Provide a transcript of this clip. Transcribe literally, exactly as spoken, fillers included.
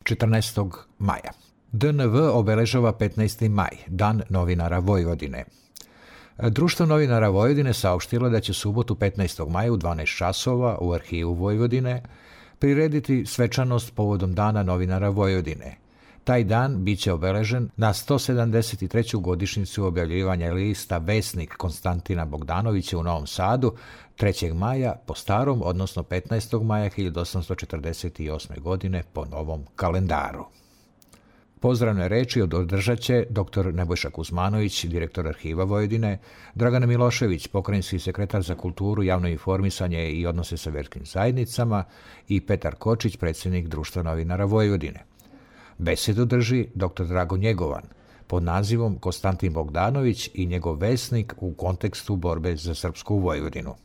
četrnaestog maja. D N V obeležava petnaesti maj, Dan novinara Vojvodine. Društvo novinara Vojvodine saopštilo da će subotu petnaestog maja u dvanaest časova u Arhivu Vojvodine prirediti svečanost povodom Dana novinara Vojvodine. Taj dan biće obeležen na sto sedamdeset treću godišnjicu objavljivanja lista Vesnik Konstantina Bogdanovića u Novom Sadu trećeg maja po starom, odnosno petnaestog maja hiljadu osamsto četrdeset osme. godine po novom kalendaru. Pozdravne reči održat će dr Nebojša Kuzmanović, direktor Arhiva Vojvodine, Dragana Milošević, pokrajinski sekretar za kulturu, javno informisanje i odnose sa verskim zajednicama, i Petar Kočić, predsjednik Društva novinara Vojvodine. Besedu drži dr Drago Njegovan pod nazivom Konstantin Bogdanović i njegov vesnik u kontekstu borbe za srpsku Vojvodinu.